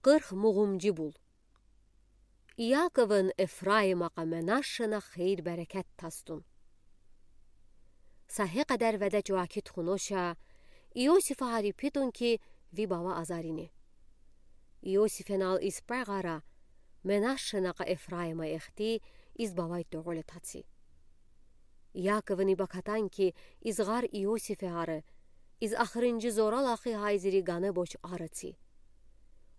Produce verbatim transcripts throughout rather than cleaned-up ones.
Qırx muğumcu bul. Yakovun Efraima k'a Menashşena xeyir-bərəkət tasdun. Sa he qədər vədə cıvakıtxun oşə, İosifa haripidun ki, vi bava azarine. İosifen al iz pəğara, Menashşena k'a Efraima exti iz bavay toğole tatsi. Yakovun i bəkatan ki, iz ğar İosife arı, iz axırıncı zora laxi hayziri qanə boç arıtsi.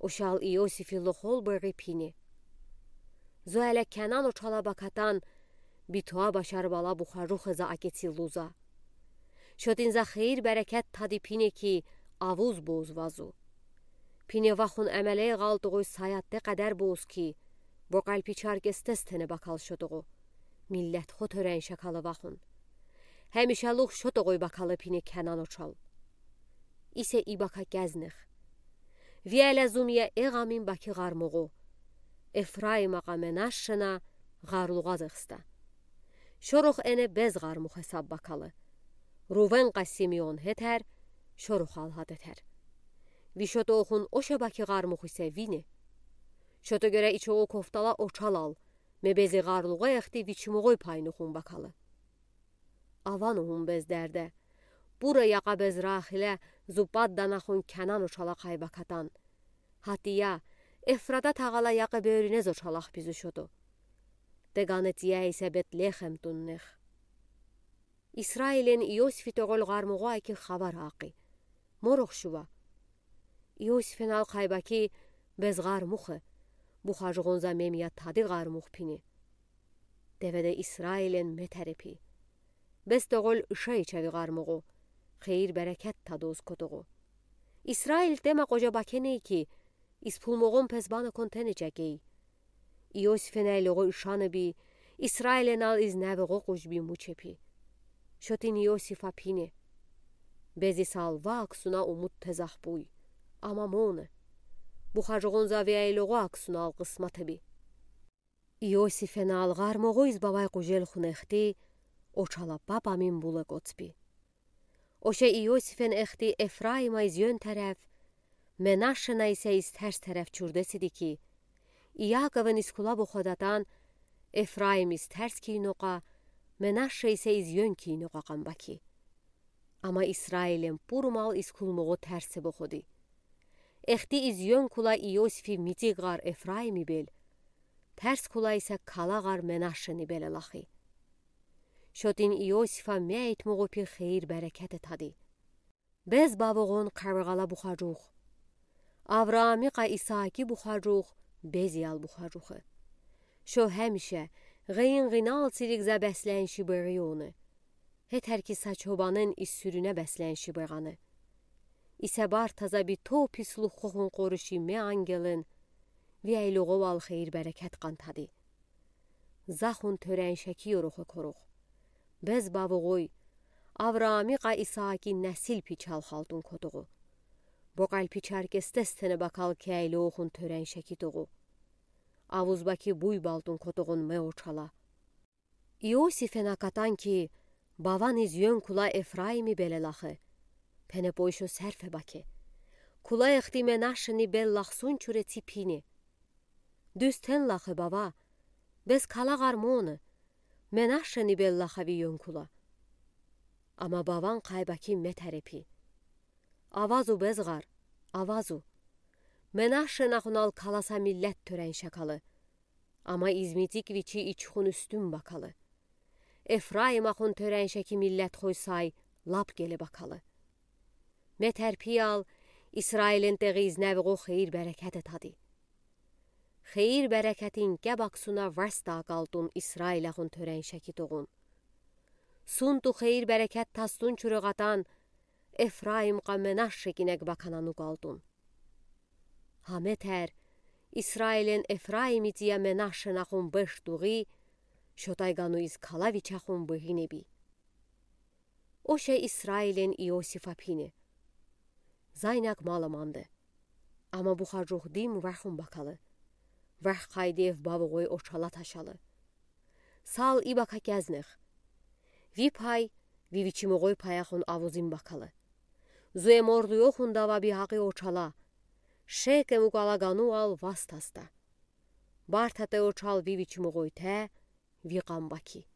Oşal İosifi loxol bıri pine. Zo ələ Kənan oçala bəkatan, bitoə bəşar bala buxaruxe za aketsi luza. Şotin za xeyir-bərəkət tadi pine ki, avuz boz vazu. Pine vaxun əmələ ğaltıqoy sayat de qədər boz ki, bo qəlpi çarkestes tene bəkal şotoğo. Millət xo törən şəkalı vaxun. Həmişə lux şotoğoy bəkalı pine Kənan oçal. İsə i bəka kəznıx. Viələ zumyə eğamin bəki ğarmoğo. Efraima k'a Menashşena ğarluğaz ıxsta. Şorox ene bez ğarmoğ hesab bəkalı. Ruven k'a Simeon hetər, şorox al hadetər. Vi şotoxun oşə bəki ğarmoğ isə vine. Şoto görə i çoğu koftala oçal al, me bezi ğarluğo exti viçimoğoy paynoxun bəkalı. Avanuhun bez dərdə. Bura yaqa bez Raxilə zu pad danaxun Kənan oçala kay bəkatan. Hatiya, Efrata tağala yaqi börünə zoçalax bizu şoto. Teqanetiyə isə Betlexem tunnex. İsrailen İosifi toğol ğarmoğo aki xəvər aqi. Morox şuva. İosifen al kay bəki, bez ğarmoğe. Buxacoğon za memya tadi ğarmoğ pine. Devədə İsrailen metərepi. Bez toğol ışə içəvi ğarmoğo. Xeyir-bərəkət tadoz kotoğo. İsrail temə qoca bəkeney ki, iz pulmoğon pezbanıkon tenecəkey. İosifen əyloğo ışanıbi, İsrailen al iz nəvoğo qucbi muçepi. Şotin İosifa pine. Bezi salva aksuna umut tezax buy. Amma mone. Buxacoğon za vi əyloğo aksuna al qısmatıbi. İosifen al ğarmoğo iz bavay qucelxun exti, oçala pap amin bule qotsbi. Oşə İosifen exti Efraima iz yön tərəf, Menashşena isə iz tərs tərəf çurdesidi ki, İakovın iz kula boxodatan, Efraim iz tərs kiynoqa, Menashşe isə iz yön kiynoqa qan bəki. Amma İsrailen purumal iz kulmoğo tərse boxodi. Exti iz yön kula İosifi mitik ğar Efraimi bel, tərs kula isə kala ğar Menashşeni bele laxi. Şotin İosifa meytmoğo pi xeyir-bərəkəte tadi. Bez bavoğon qavığala buxacox. Avraami qa İsaaki buxacox, bezi al buxacoxe. Şo həmişə ğeyin ğinal çirik za bəslənşi bıri one. Hetər ki sa çobanın iz sürünə bəslənşi bığanı. İsə barta za bito pisluxoxun qoruşi me angelın, vi əyloğo al xeyir-bərəkət qan tadi. Zaxun törən şəki yoroxo korox. Bez bavoğoy, Avraami qa İsaaki nəsil pi çalxaltun kotoğo. Bo qəlpi çarkestes tene bəkal ki əyloxun törən şəki toğo. Avuz bəki buy baltun kotoğon me oçala. İosifen akatan ki, bavan iz yön kula Efraimi bele laxe. Pene poy şo sərfe bəke. Kula exti Menashşeni bel laxsun çure çi pine. Düz ten laxe bava. Bez kala ğar mone. Menashşeni bel laxavi yön kula. Amma bavan qay bəki metərepi. Avazu bez ğar, avazu. Menashşenaxun al kalasa millət törən şəkalı. Amma iz mitik viçi içxun üstün bəkalı. Efraimaxun törən şəki millətxoy say lap qele bəkalı. Metərpi al, İsrailen teği iz nəvoğo xeyir-bərəkəte tadi. Xeyir-bərəkətin kəb aksuna vəsdə qaltun İsrailəxun törən şəki toğun. Suntu xeyir-bərəkət tastun çurığatan, Efraim qa Menashşe kinək bəkananu qaltun. Ha metər, İsrailen Efraimi tiyə Menashşenaxun beş dığı, şotay qanu iz kala viçəxun bığinəbi. Oşə İsrailen İosifa pine. Zaynək malı mande. Amma buxacox dim vəxun bəkalı. Vəx qaydev bavoğoy oçala taşalı. Sal i bəka kəznıx. Vi pay, vi viçimoğoy payaxun avuzin bəkalı. Zue morduyoxun dava bihaqi oçala. Шекем угалагануал вастасда. Бартатэ учал ви вичи мугъуйтэ ви къам баки.